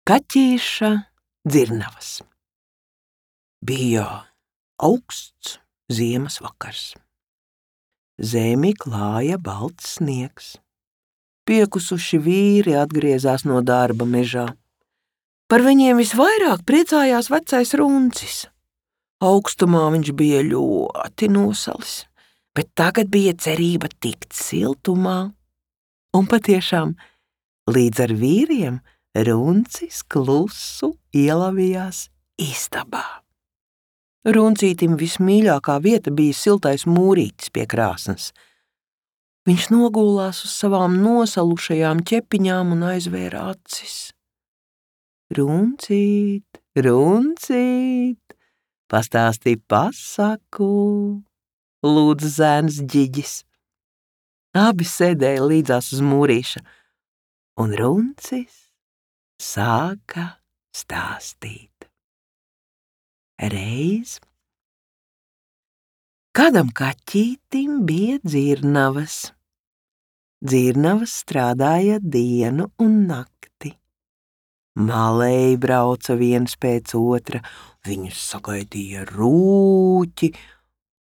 Kaķīša dzirnavas. Bija augsts ziemas vakars. Zemi klāja balts sniegs. Piekusuši vīri atgriezās no darba mežā. Par viņiem visvairāk priecājās vecais Runcis. Augstumā viņš bija ļoti nosalis, bet tagad bija cerība tikt siltumā. Un patiešām, līdz ar vīriem Runcis klusu ielavījās istabā. Runcītim vismīļākā vieta bija siltais mūrītis pie krāsnes. Viņš nogulās uz savām nosalušajām ķepiņām un aizvēra acis. Runcīt, Runcīt, pastāstīja pasaku, lūdza zēns Ģiģis. Abi sēdēja līdzās uz mūrīša, un Runcis sāka stāstīt. Reiz kādam kaķītim bija dzirnavas. Dzirnavas strādāja dienu un nakti. Malēji brauca viens pēc otra, viņus sagaidīja rūķi,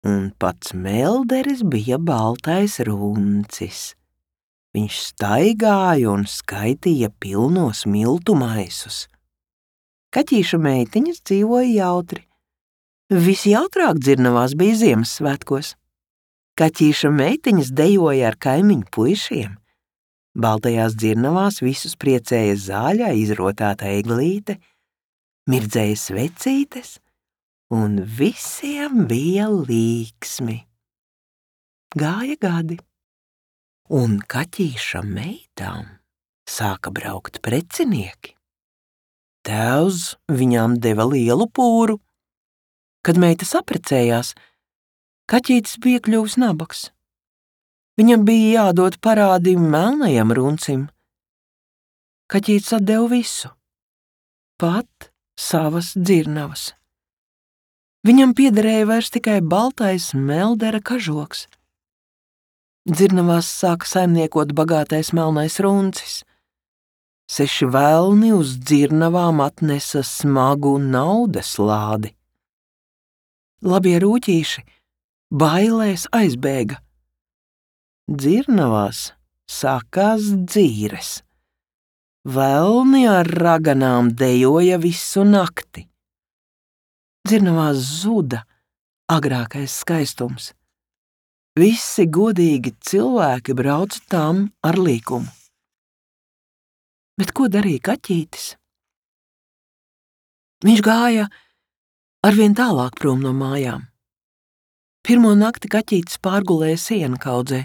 un pats melderis bija baltais Runcis. Viņš staigāja un skaitīja pilnos miltu maisus. Kaķīša meitiņas dzīvoja jautri. Visjautrāk dzirnavās bija Ziemassvētkos. Kaķīša meitiņas dejoja ar kaimiņu puišiem. Baltajās dzirnavās visus priecēja zāļā izrotāta eglīte, mirdzēja svecītes, un visiem bija līksmi. Gāja gadi. Un kaķīša meitām sāka braukt precinieki. Tēvs viņām deva lielu pūru. Kad meita saprecējās, kaķītis bija kļuvis nabaks. Viņam bija jādod parādi melnajam Runcim. Kaķītis atdeva visu, pat savas dzirnavas. Viņam piederēja vairs tikai baltais meldera kažoks. Dzirnavās sāka saimniekot bagātais melnais Runcis. 6 velni uz dzirnavām atnesa smagu naudas lādi. Labie rūķīši bailēs aizbēga. Dzirnavās sākās dzīres. Velni ar raganām dejoja visu nakti. Dzirnavās zuda agrākais skaistums. Visi godīgi cilvēki brauca tām ar līkumu. Bet ko darīja kaķītis? Viņš gāja arvien tālāk prom no mājām. Pirmo nakti kaķītis pārgulēja siena kaudzē.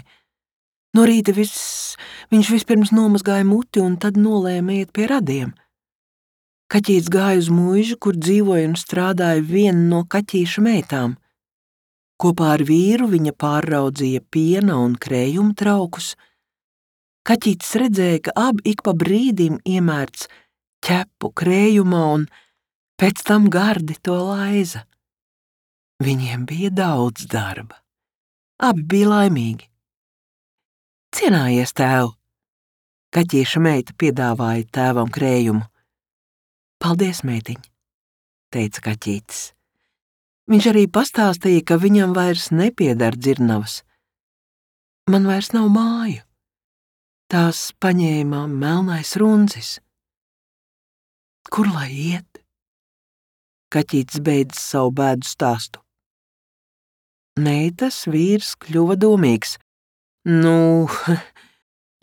No rīta viņš vispirms nomazgāja muti un tad nolēma iet pie radiem. Kaķītis gāja uz muižu, kur dzīvoja un strādāja viena no kaķīša meitām. Kopā ar vīru viņa pārraudzīja piena un krējuma traukus. Kaķītis redzēja, ka abi ik pa brīdim iemērc ķepu krējumā un pēc tam gardi to laiza. Viņiem bija daudz darba. Abi bija laimīgi. Cienājies, tēv! Kaķīša meita piedāvāja tēvam krējumu. Paldies, meitiņ, teica kaķītis. Viņš arī pastāstīja, ka viņam vairs nepieder dzirnavas. Man vairs nav māju. Tās paņēma melnais Runcis. Kur lai iet? Kaķītis beidz savu bēdu stāstu. Meitas vīrs kļuva domīgs. Nu,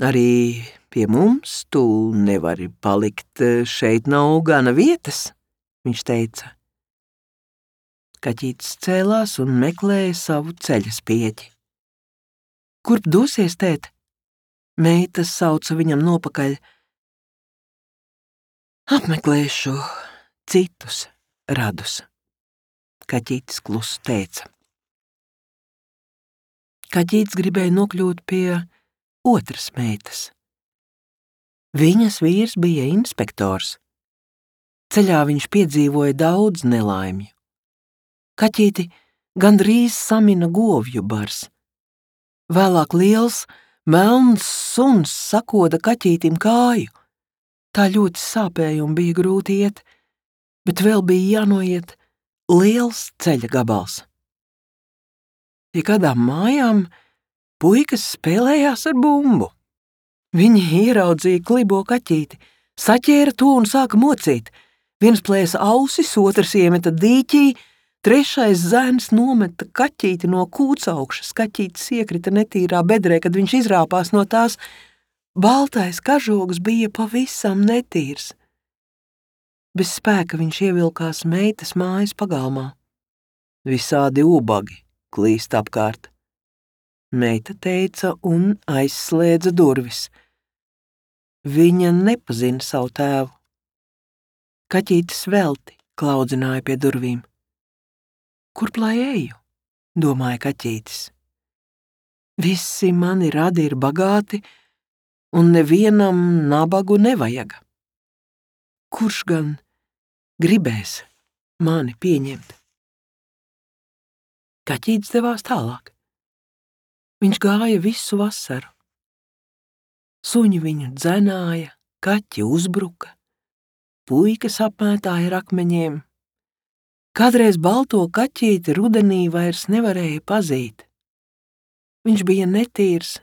arī pie mums tu nevari palikt, šeit nav gana vietas, viņš teica. Kaķītis cēlās un meklēja savu ceļa spieķi. Kurp dosies, tēt? Meita sauca viņam nopakaļ. Apmeklēšu citus radus, kaķītis klusu teica. Kaķītis gribēja nokļūt pie otras meitas. Viņas vīrs bija inspektors. Ceļā viņš piedzīvoja daudz nelaimju. Kaķīti gandrīz samina govju bars. Vēlāk liels, melns suns sakoda kaķītim kāju. Tā ļoti sāpēja un bija grūti iet, bet vēl bija jānoiet liels ceļa gabals. Pie kādām mājām puikas spēlējās ar bumbu. Viņi ieraudzīja klibo kaķīti, saķēra to un sāka mocīt. Viens plēsa ausis, otrs iemeta dīķī, trešais zēns nometa kaķīti no kūts augšas. Kaķītis iekrita netīrā bedrē, kad viņš izrāpās no tās. Baltais kažoks bija pavisam netīrs. Bez spēka viņš ievilkās meitas mājas pagalmā. Visādi ubagi klīst apkārt. Meita teica un aizslēdza durvis. Viņa nepazina savu tēvu. Kaķītis velti klaudzināja pie durvīm. Kurp lai eju, domāja kaķītis. Visi mani radi ir bagāti, un nevienam nabagu nevajaga. Kurš gan gribēs mani pieņemt? Kaķītis devās tālāk. Viņš gāja visu vasaru. Suņi viņu dzenāja, kaķi uzbruka, puikas apmētāja ar akmeņiem. Kādreiz balto kaķīti rudenī vairs nevarēja pazīt. Viņš bija netīrs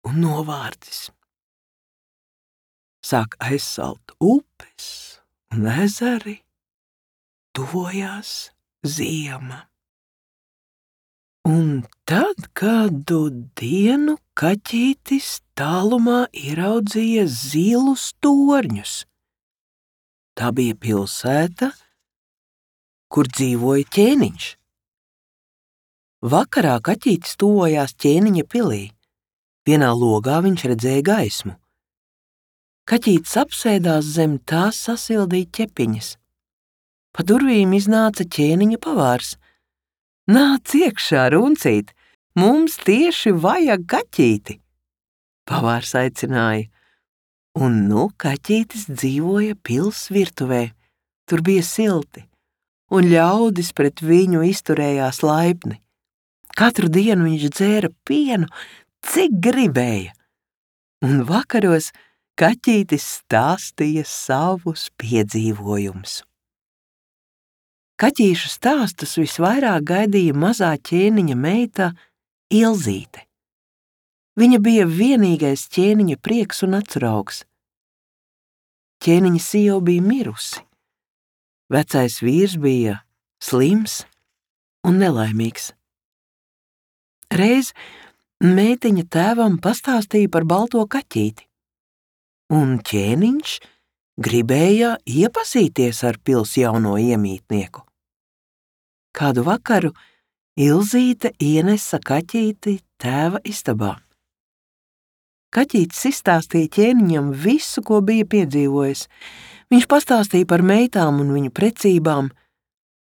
un novārdzis. Sāk aizsalt upes un ezeri, tuvojās ziema. Un tad kādu dienu kaķītis tālumā ieraudzīja zilus torņus. Tā bija pilsēta, kur dzīvoja ķēniņš. Vakarā kaķītis tuvojās ķēniņa pilī. Vienā logā viņš redzēja gaismu. Kaķītis apsēdās zem tās sasildīja ķepiņas. Pa durvīm iznāca ķēniņa pavārs. Nāc iekšā, runcīt, mums tieši vajag kaķīti, pavārs aicināja. Un kaķītis dzīvoja pils virtuvē, tur bija silti, un ļaudis pret viņu izturējās laipni. Katru dienu viņš dzēra pienu, cik gribēja, un vakaros kaķītis stāstīja savus piedzīvojumus. Kaķīšu stāstus visvairāk gaidīja mazā ķēniņa meita Ilzīte. Viņa bija vienīgais ķēniņa prieks un acuraugs. Ķēniņa sieva bija mirusi. Vecais vīrs bija slims un nelaimīgs. Reiz meitiņa tēvam pastāstīja par balto kaķīti, un ķēniņš gribēja iepazīties ar pils jauno iemītnieku. Kādu vakaru Ilzīte ienesa kaķīti tēva istabā. Kaķītis izstāstīja ķēniņam visu, ko bija piedzīvojis. Viņš pastāstīja par meitām un viņu precībām.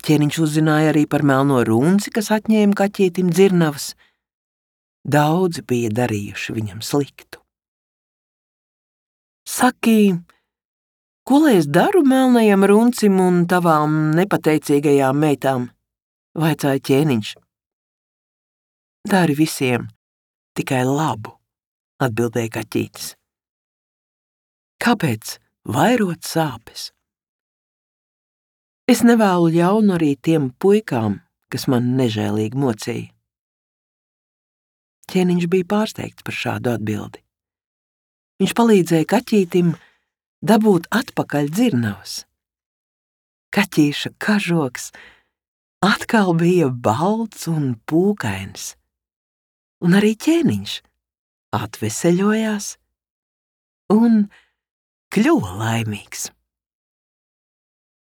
Ķēniņš uzzināja arī par melno runci, kas atņēma kaķītim dzirnavas. Daudzi bija darījuši viņam sliktu. Saki, ko lai es daru melnajam runcim un tavām nepateicīgajām meitām? Vaicāja ķēniņš. Dari visiem tikai labu, atbildēja kaķītis. Kāpēc vairot sāpes? Es nevēlu ļaunu arī tiem puikām, kas man nežēlīgi mocīja. Ķēniņš bija pārsteigts par šādu atbildi. Viņš palīdzēja kaķītim dabūt atpakaļ dzirnavas. Kaķīša kažoks atkal bija balts un pūkains, un arī ķēniņš atveseļojās un kļuva laimīgs.